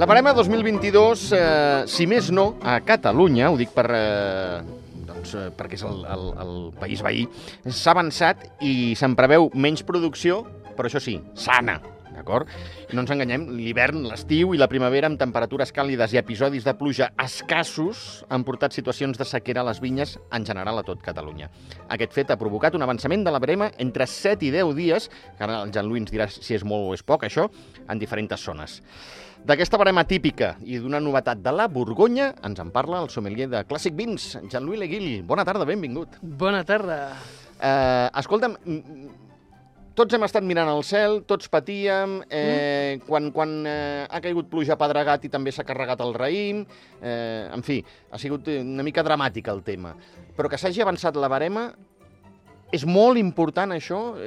La barema 2022, si més no, a Catalunya, ho dic perquè és el país veí, s'ha avançat i se'n preveu menys producció, però això sí, sana. D'acord? No ens enganyem, l'hivern, l'estiu i la primavera amb temperatures càlides i episodis de pluja escassos han portat situacions de sequera a les vinyes en general a tot Catalunya. Aquest fet ha provocat un avançament de la barema entre 7 i 10 dies, que ara el Jean-Louis ens dirà si és molt o és poc, això, en diferents zones. D'aquesta barema típica i d'una novetat de la Borgonya ens en parla el sommelier de Clàssic Vins, Jean-Louis Leguil. Bona tarda, benvingut. Bona tarda. Escolta'm, tots hem estat mirant al cel, tots patíem, quan ha caigut pluja pedregat i també s'ha carregat el raïm, en fi, ha sigut una mica dramàtic el tema. Però que s'hagi avançat la barema, és molt important això?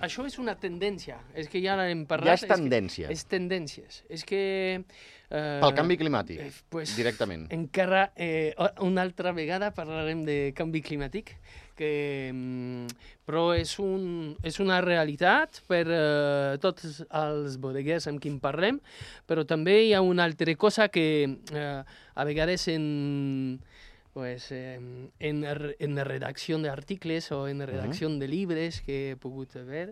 Això és una tendència, és que ja n'hem parlat. Ja és tendència. És tendències. És que... Pel canvi climàtic, directament. Encara una altra vegada parlarem de canvi climàtic, però és una realitat per tots els bodeguers amb qui en parlem, però també hi ha una altra cosa que a vegades en redacció d'articles o en redacció de llibres que he pogut veure,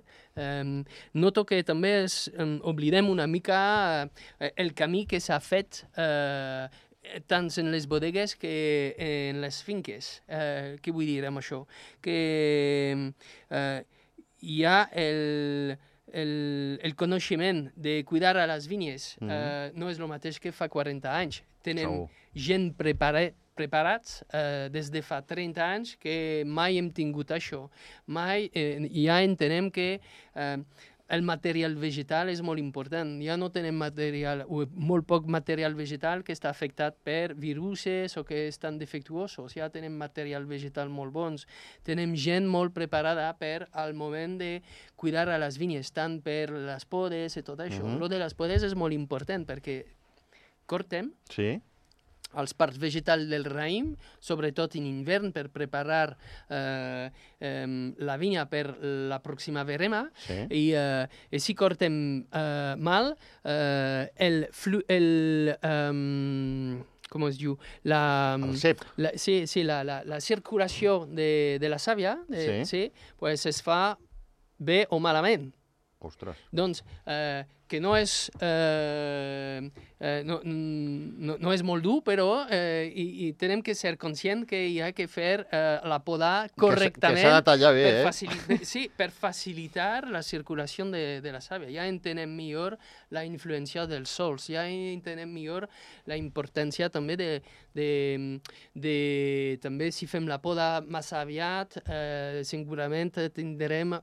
noto que també oblidem una mica el camí que s'ha fet tant en les bodegues que en les finques. Què vull dir amb això? Que hi ha el coneixement de cuidar a les vinyes. No és el mateix que fa 40 anys. Tenen gent preparats des de fa 30 anys que mai hem tingut això. Mai ja entenem que el material vegetal és molt important. Ja no tenem molt poc material vegetal que està afectat per viruses o que estan defectuosos. Ja tenem material vegetal molt bons. Tenem gent molt preparada per al moment de cuidar a les vinyes, tant per les podes i tot això. Lo de les podes és molt important perquè cortem els parts vegetals del raïm, sobretot en hivern, per preparar la vinya per la pròxima verema. I si cortem mal, com es diu? El cep. La circulació de la sàvia es fa bé o malament. Ostres. Doncs que no és molt dur, però tenem que ser conscients que hi ha que fer la poda correctament. Que s'ha de tallar bé, per facilitar la circulació de la sàvia. Ja entenem millor la influència dels sols, ja entenem millor la importància també també si fem la poda massa aviat, segurament tindrem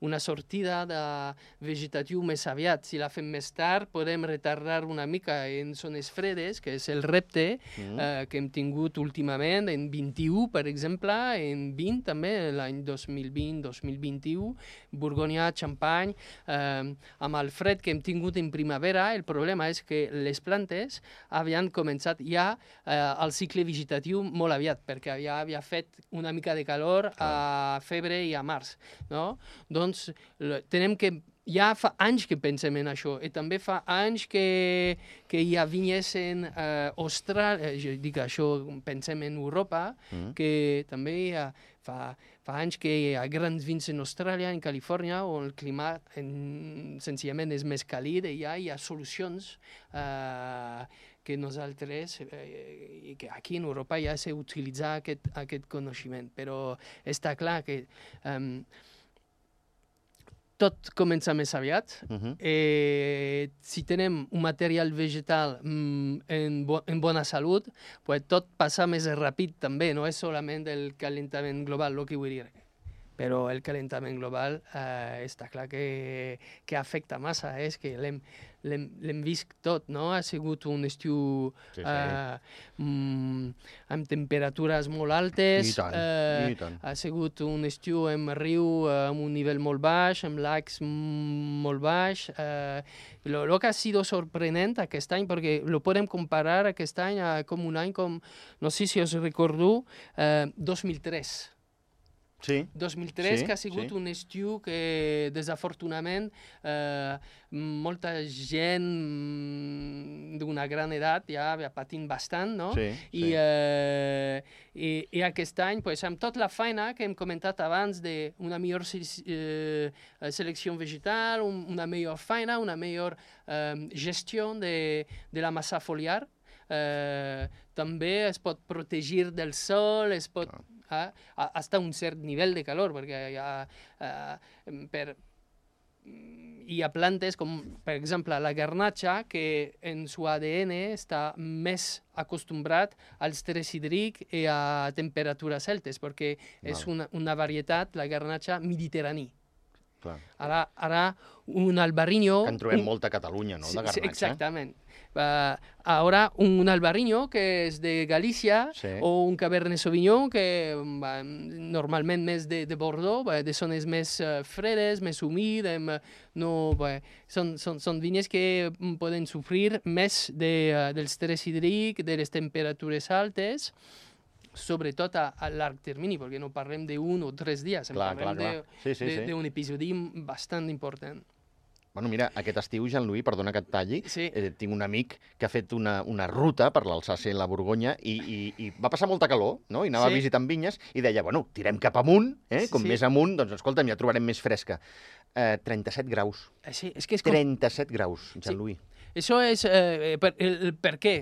una sortida de vegetatiu més aviat. Si la fem més tard, podem retardar una mica en zones fredes, que és el repte que hem tingut últimament, en 21, per exemple, en 20 també, l'any 2020-2021, Borgonya, Champagne, amb el fred que hem tingut en primavera, el problema és que les plantes havien començat ja el cicle vegetatiu molt aviat, perquè ja havia fet una mica de calor a febrer i a març, no? Doncs tenem que ja fa anys que pensem en això, i també fa anys que hi ha vinyes en Austràlia, jo dic això, pensem en Europa, que també fa anys que hi ha grans vins en Austràlia, en Califòrnia, on el clima senzillament és més càlid, i ja hi ha solucions que nosaltres, i que aquí en Europa ja s'ha utilitzat aquest coneixement, però està clar que tot comença més aviat. Si tenem un material vegetal en bona salut, tot passa més ràpid també, no és solament el calentament global, el que vull dir. Però el calentament global està clar que afecta massa, és que l'hem vist tot, no? Ha sigut un estiu amb temperatures molt altes, ha sigut un estiu amb riu amb un nivell molt baix, amb lacs molt baix. Lo que ha sido sorprenent aquest any, perquè lo podem comparar aquest any com un any com, no sé si us recordo, 2003. Sí. 2003, Sí, que ha sigut un estiu que, desafortunadament, molta gent d'una gran edat ja patint bastant, no? Sí, sí. I aquest any, pues, amb tota la feina que hem comentat abans d'una millor selecció vegetal, una millor feina, una millor gestió de la massa foliar, també es pot protegir del sol, es pot... hasta un cert nivell de calor, perquè hi ha plantes com, per exemple, la garnatxa, que en su ADN està més acostumbrat al estrès hídric i a temperatures altes, perquè és una varietat, la garnatxa mediterrani. Ara un albarrinyo... Que en trobem molta a Catalunya, no?, de garnatxa. Exactament. Ahora un albarrinyo que és de Galícia o un cabernet sauvignon que normalment més de Bordeaux, de zones més fredes, més humides, són vinyes que poden sofrir més del estrès hídric, de les temperatures altes, sobretot a llarg termini, perquè no parlem d'un o 3 dies, parlem d'un episodi bastant important. Bueno, mira, aquest estiu, Jean-Louis, perdona que et talli, tinc un amic que ha fet una ruta per l'Alsàcia i la Borgonya i va passar molta calor, no? I anava visitant vinyes i deia, bueno, tirem cap amunt, com més amunt, doncs escolta'm, ja trobarem més fresca. 37 graus. Sí, és que 37 graus, Jean-Louis. Això és per què?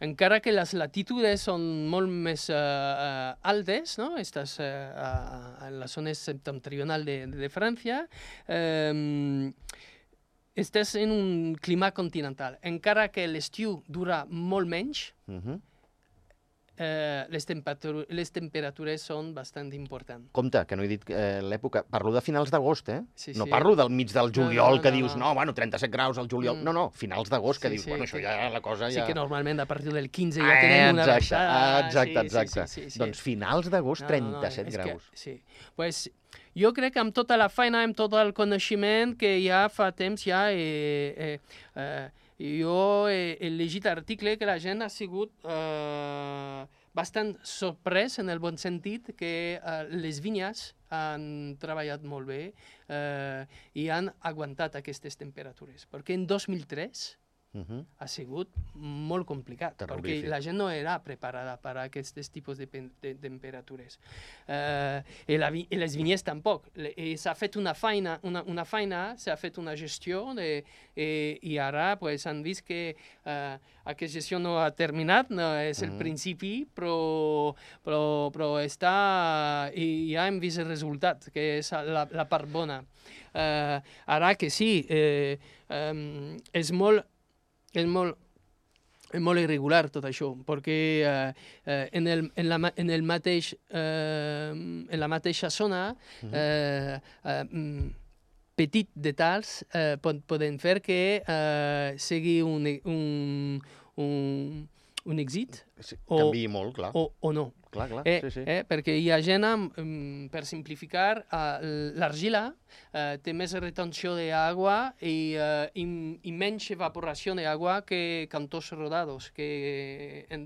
Encara que les latitudes són molt més altes, no? Estàs en la zona septentrional de França, estàs en un clima continental. Encara que l'estiu dura molt menys, les temperatures són bastant importants. Compte, que no he dit l'època. Parlo de finals d'agost, No parlo del mig del juliol, que dius, no, bueno, 37 graus al juliol. No, finals d'agost, que dius, bueno, això ja la cosa ja... Sí, que normalment a partir del 15 ja tenim una baixada. Exacte. Doncs finals d'agost, 37 graus. Sí, pues... Jo crec que amb tota la feina, amb tot el coneixement que ja fa temps jo he llegit article que la gent ha sigut bastant sorprès en el bon sentit que les vinyes han treballat molt bé i han aguantat aquestes temperatures. Perquè en 2003 ha sigut molt complicat, perquè la gent no era preparada per a aquests tipus de temperatures. I les vinyes tampoc. S'ha fet una feina, s'ha fet una gestió i ara han vist que aquesta gestió no ha terminat, no és el principi, però està... I ja hem vist el resultat, que és la part bona. Ara que sí, és molt irregular tot això, perquè en la mateixa zona petits detalls poden fer que sigui un èxit canviï molt, clar. O no. Clar, perquè hi ha gent, per simplificar, l'argila té més retenció d'aigua i menys evaporació d'aigua que cantons rodados,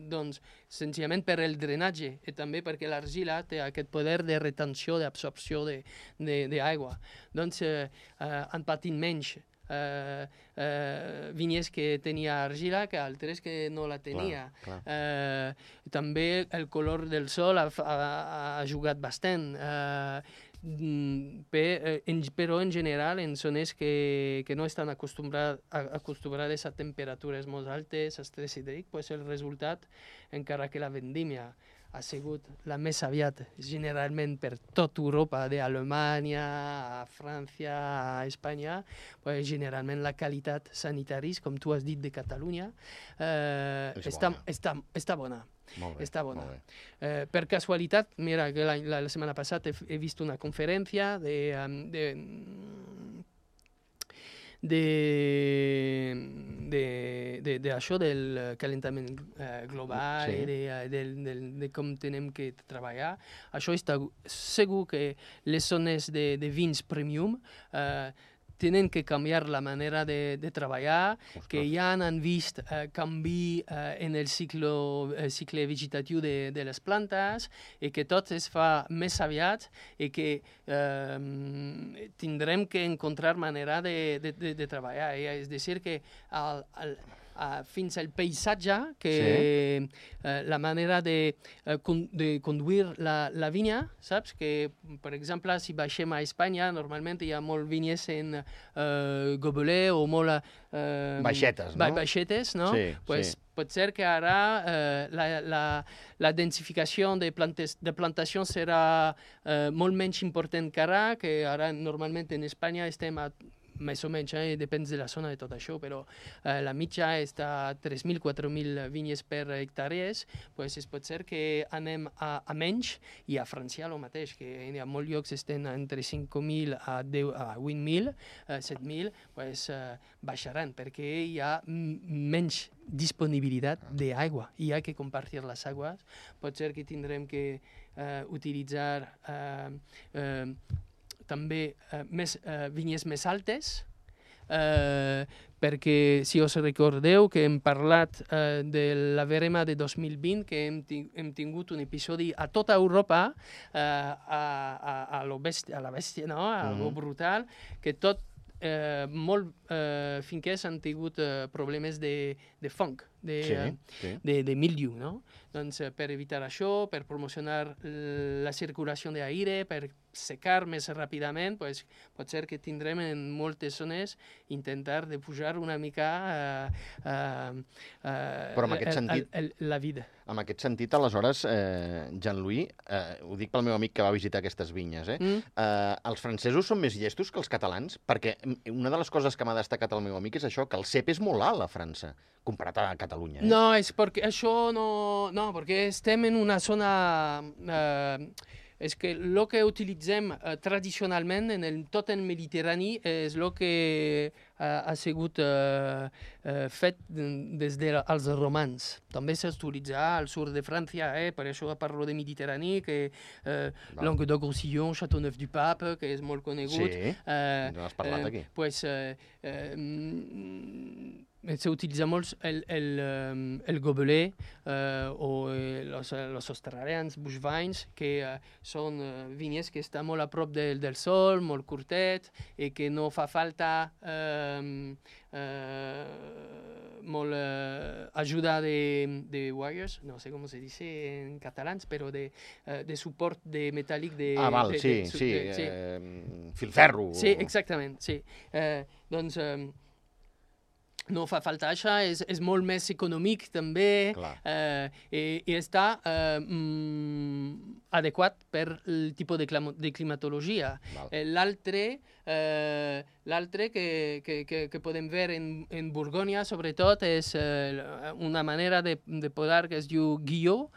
doncs, senzillament per el drenatge i també perquè l'argila té aquest poder de retenció, d'absorció d'aigua. Doncs han patit menys vinyes que tenia argila que altres que no la tenia. També el color del sol ha jugat bastant, però en general en zones que no estan acostumbrades a temperatures molt altes, a estrès hídric, el resultat, encara que la vendímia ha sigut la més aviat generalment per tot Europa, d'Alemanya a França, a Espanya, generalment la qualitat sanitaris, com tu has dit, de Catalunya, està bona. Està bona. Per casualitat, mira, que la setmana passada he vist una conferència d'això del calentament global i de com tenem que treballar. Això està segur que les zones de vins premium tenen que canviar la manera de treballar, que ja han vist canvi en el cicle vegetatiu de les plantes i que tot es fa més aviat i que tindrem que encontrar manera de treballar. És a dir, que fins al paisatge, que la manera de conduir la vinya, saps? Que, per exemple, si baixem a Espanya, normalment hi ha molt vinyes en gobelet o molt... Baixetes, no? Baixetes, no? Sí, pues, sí. Pot ser que ara la densificació de plantació serà molt menys important que ara normalment en Espanya estem a més o menys, depèn de la zona de tot això, però la mitja està a 3.000-4.000 vinyes per hectàrees, pues es pot ser que anem a menys, i a França el mateix, que hi ha molts llocs estan entre 5.000 a 8.000, 7.000, pues baixaran, perquè hi ha menys disponibilitat d'aigua, hi ha que compartir les aigües, pot ser que tindrem que utilitzar també vinyes més altes, perquè si us recordeu que hem parlat de la verema de 2020, que hem tingut un episodi a tota Europa, a la bèstia, no? A lo brutal, que tot molt finquers han tingut problemes de fong, de mildiu, no? Doncs per evitar això, per promocionar la circulació d'aire, per secar més ràpidament, pues, pot ser que tindrem en moltes zones intentar de pujar una mica Però en aquest sentit, la vida. En aquest sentit, aleshores, Jean-Louis, ho dic pel meu amic que va visitar aquestes vinyes, els francesos són més llestos que els catalans? Perquè una de les coses que m'ha destacat el meu amic és això, que el cep és molt alt a França, comparat a Catalunya. No, és perquè això no, perquè estem en una zona... És que el que utilitzem tradicionalment en tot el Mediterrani és el que ha sigut fet des dels romans. També s'utilitza al sud de França, per això parlo de Mediterrani, que Languedoc-Roussillon, Châteauneuf-du-Pape, que és molt conegut. Sí, no has parlat aquí. Pues, se utilitza molt el gobelet o los australians bushvines, que són vinyes que estan molt a prop del sol, molt curtet, i que no fa falta molt ajuda de wires, no sé com se dice en catalans, però de suport de metàl·lic de... Val, sí, filferro. Sí, exactament, sí. Doncs... no fa falta això, és molt més econòmic també, i està adequat per el tipus de climatologia. L'altre que podem veure en Borgonya, sobretot, és una manera de podar que es diu guillot,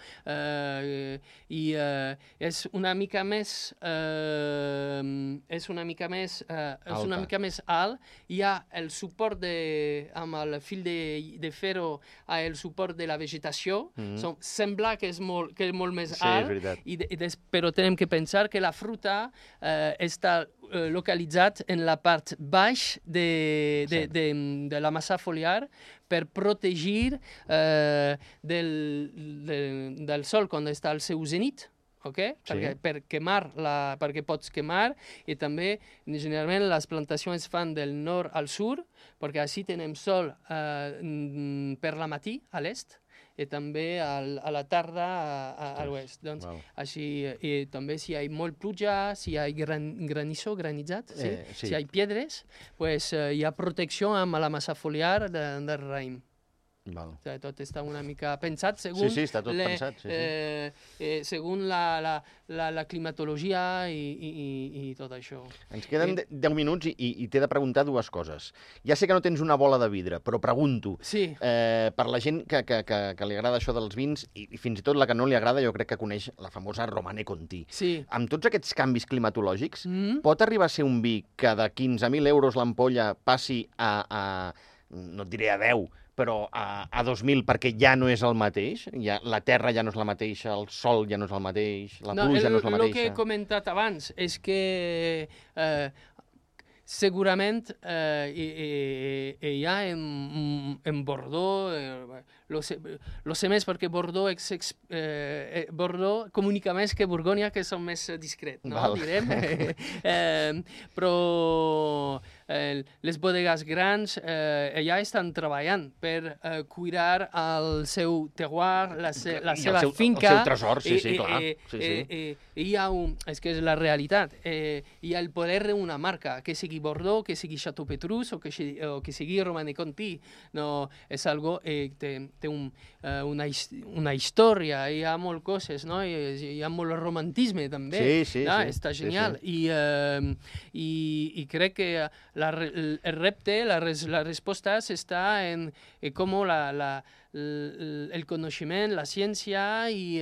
i és una mica més alt. Hi ha el suport amb el fil de ferro el suport de la vegetació. Sembla que és molt més alt, però tenim que pensar que la fruta està localitzat en la part baix de la massa foliar per protegir del sol quan està al seu zenit. Okay? Perquè pots quemar, i també generalment les plantacions es fan del nord al sud, perquè així tenim sol per la matí a l'est i també a la tarda a l'oest. Doncs, així, i també si hi ha molt pluja, si hi ha granitzat, si hi ha pedres, pues, hi ha protecció amb la massa foliar del raïm. Tot està una mica pensat segons la climatologia i tot això. Ens queden 10 minuts i t'he de preguntar dues coses. Ja sé que no tens una bola de vidre, però pregunto. Per la gent que li agrada això dels vins, i fins i tot la que no li agrada, jo crec que coneix la famosa Romanée Conti. Amb tots aquests canvis climatològics, pot arribar a ser un vi que de 15.000 euros l'ampolla passi a no et diré a 10, però a 2.000 perquè ja no és el mateix? La terra ja no és la mateixa, el sol ja no és el mateix, la pluja no és la mateixa? El que he comentat abans és que segurament hi ha en Bordeaux, lo sé més perquè Bordeaux, Bordeaux comunica més que Borgonya, que són més discrets, no? Direm. Però les bodegues grans allà estan treballant per cuidar el seu terroir, la seva finca. El seu tresor, sí, clar. Hi ha és que és la realitat. Hi ha el poder d'una marca, que sigui Bordeaux, que sigui Chateau Petrus o que sigui Romanée Conti. No, és algo té una història, hi ha moltes coses, no? Hi ha molt romantisme també. Sí. Està genial. I crec que el repte, la resposta està en com el coneixement, la ciència i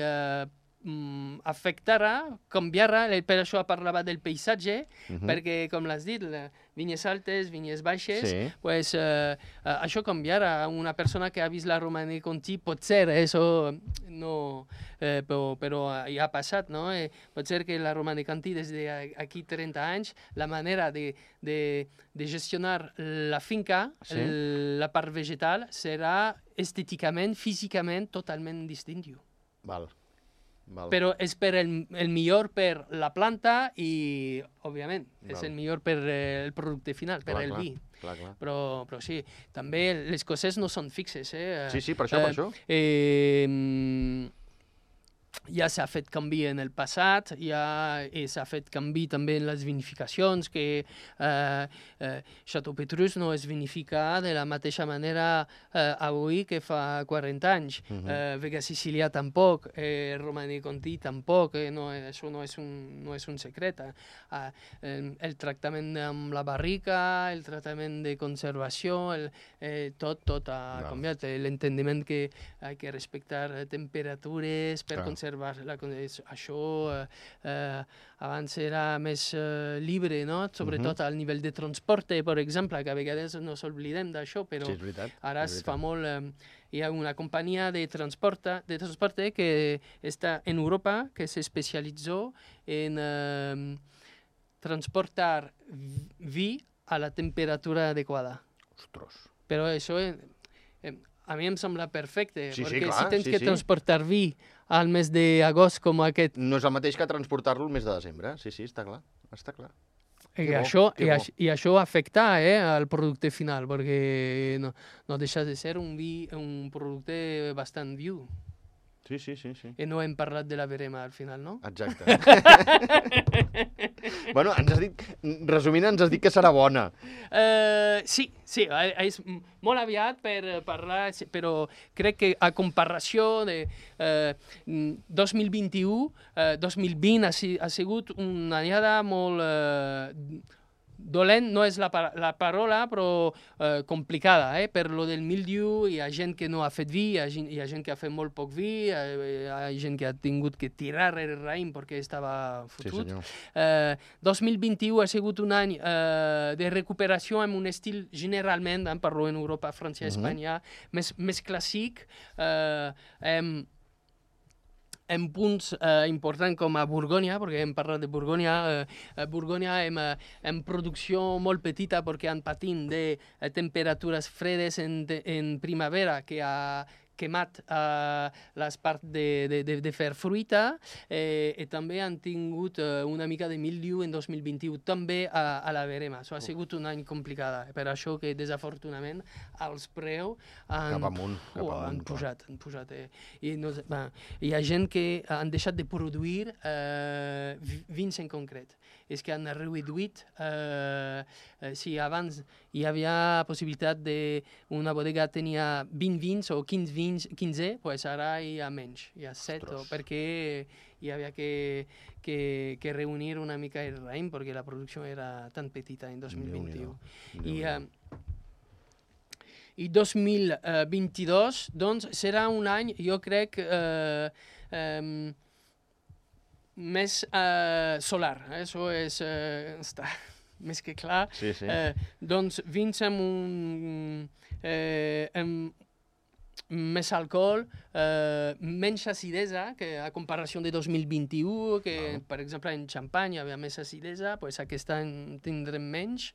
afectarà, canviarà, per això parlava del paisatge, perquè, com l'has dit, vinyes altes, vinyes baixes, pues, això canviarà. Una persona que ha vist la Romanée Conti, potser, això no, però ja ha passat, no? Pot ser que la Romanée Conti, des d'aquí 30 anys, la manera de gestionar la finca, la part vegetal, serà estèticament, físicament, totalment distintiu. Però és per el millor per la planta i, òbviament, és el millor per el producte final, per el vi. Però sí, també les coses no són fixes. Sí, per això. Ja s'ha fet canvi en el passat, ja s'ha fet canvi també en les vinificacions, que Chateau Petrus no es vinifica de la mateixa manera avui que fa 40 anys. Vega Sicilià tampoc, Romanée Conti tampoc, això no és un secret. El tractament amb la barrica, el tractament de conservació, tot ha canviat. L'entendiment que ha de respectar temperatures per conservar això abans era més llibre, no? Sobretot al nivell de transport, per exemple, que a vegades no s'oblidem d'això, però ara es fa molt... Hi ha una companyia de transport que està en Europa, que s'especialitzó en transportar vi a la temperatura adequada. Ostres. Però això a mi em sembla perfecte, perquè si tens que transportar vi al mes d'agost com aquest... No és el mateix que transportar-lo el mes de desembre. Sí, està clar. I això afecta al producte final, perquè no deixa de ser un producte bastant viu. Sí. I no hem parlat de la verema al final, no? Exacte. Bueno, resumint, ens has dit que serà bona. Sí, és molt aviat per parlar, però crec que a comparació de 2021, 2020 ha sigut una anyada molt... dolent no és la paraula, però complicada. Per lo del mildiu hi ha gent que no ha fet vi, hi ha gent que ha fet molt poc vi, hi ha gent que ha tingut que tirar el raïm perquè estava fotut. 2021 ha sigut un any de recuperació amb un estil generalment, parlo en Europa, França, Espanya, més clàssic, en punts importants com a Borgonya, perquè hem parlat de Borgonya. Borgonya en producció molt petita perquè han patit de temperatures fredes en primavera que ha quemat les parts de fer fruita i també han tingut una mica de mildiu en 2021, també a la verema. Això ha sigut un any complicat, per això que desafortunadament els preus han pujat. Hi ha gent que han deixat de produir vins en concret. És que han reduït, si abans hi havia possibilitat d'una bodega tenia 20 vins o 15, doncs ara hi ha menys, hi ha 7, perquè hi havia que reunir una mica el raïm, perquè la producció era tan petita en 2021. I 2022, doncs, serà un any, jo crec, més solar, això està més que clar. Doncs vins amb més alcohol, menys acidesa, que a comparació de 2021, que per exemple en Champagne hi havia més acidesa, doncs aquest any tindrem menys.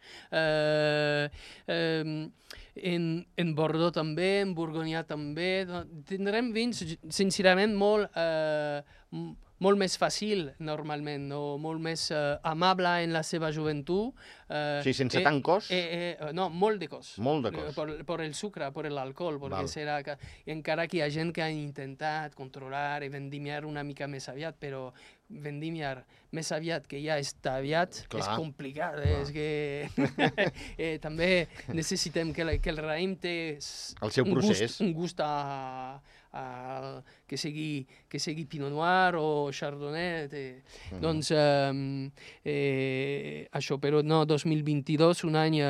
En Bordeaux també, en Borgonya també. Tindrem vins, sincerament, molt més fàcil, normalment, no? Molt més amable en la seva joventut. Sí, sense tant cos? No, molt de cos. Molt de cos. Per el sucre, per l'alcohol, perquè serà que encara que hi ha gent que ha intentat controlar i vendimiar una mica més aviat, però vendimiar més aviat que ja està aviat és complicat. És que també necessitem que el raïm té el seu procés. Un gust que sigui Pinot Noir o Chardonnay. Doncs això, però no, 2022, un any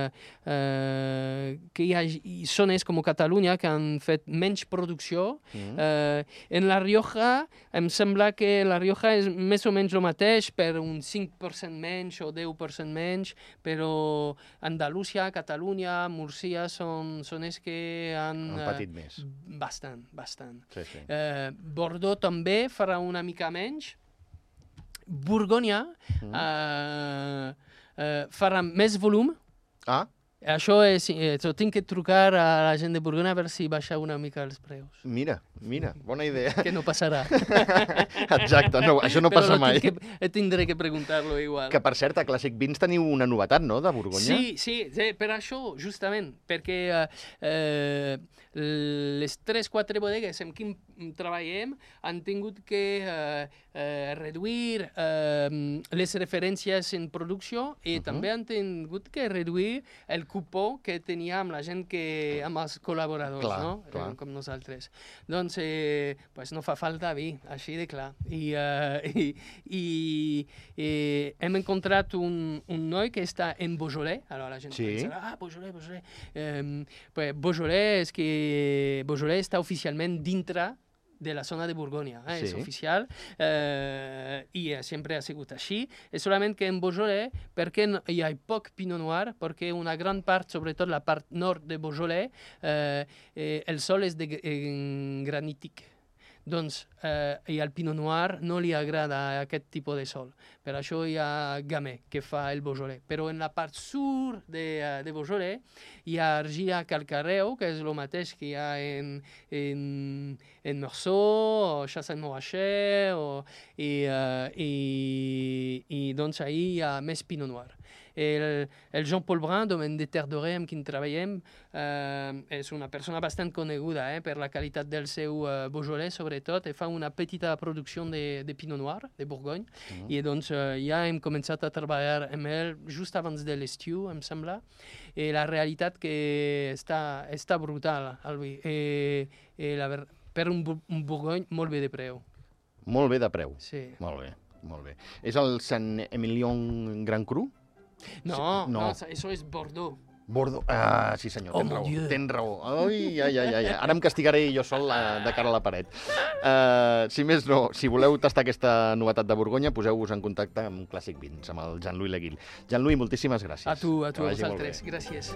que hi ha zones com Catalunya que han fet menys producció. En La Rioja, em sembla que La Rioja és més o menys el mateix, per un 5% menys o 10% menys, però Andalusia, Catalunya, Múrcia són zones que han patit més. Bastant. Sí. Bordeaux també farà una mica menys. Borgonya farà més volum. Això és... tinc que trucar a la gent de Borgonya a veure si baixa una mica els preus. Mira, bona idea. Que no passarà. Exacte, no, això no passa mai. Però tindré que preguntar-lo igual. Que, per cert, a Clàssic Vins teniu una novetat, no?, de Borgonya? Sí, per això, justament, perquè les 3-4 bodegues amb qui treballem han tingut que reduir les referències en producció i també han tingut que reduir el cupó que tenia amb la gent amb els col·laboradors, no? Com nosaltres. Doncs no fa falta vi, així de clar. I hem encontrat un noi que està en Beaujolais. La gent pensa, Beaujolais. Beaujolais és que Beaujolais està oficialment dintre de la zona de Borgonya, és oficial, i sempre ha sigut així. És solament que en Beaujolais, perquè hi ha poc Pinot Noir, perquè una gran part, sobretot la part nord de Beaujolais, el sol és granític. Doncs al Pinot Noir no li agrada aquest tipus de sol. Per això hi ha Gamay, que fa el Beaujolais. Però en la part sud de Beaujolais hi ha argila calcareu, que és el mateix que hi ha en Meursault, o Chassagne-Montrachet, i doncs ahir hi ha més Pinot Noir. El Jean-Paul Brun, domaine de Terre Dorée, amb qui treballem, és una persona bastant coneguda per la qualitat del seu Beaujolais, sobretot, i fa una petita producció de Pinot Noir, de Bourgogne, i doncs ja hem començat a treballar amb ell just abans de l'estiu, em sembla, i la realitat que està brutal, Albi, per un Bourgogne molt bé de preu. Molt bé de preu? Sí. Molt bé. És el Saint-Emilion Grand Cru? No, això és Bordeaux. Bordeaux, sí senyor, tens raó. Ai. Ara em castigaré jo sol de cara a la paret. Si més no, si voleu tastar aquesta novetat de Borgonya, poseu-vos en contacte amb Clàssic Vins, amb el Jean-Louis Leguil. Jean-Louis, moltíssimes gràcies. A tu, a vosaltres. Gràcies.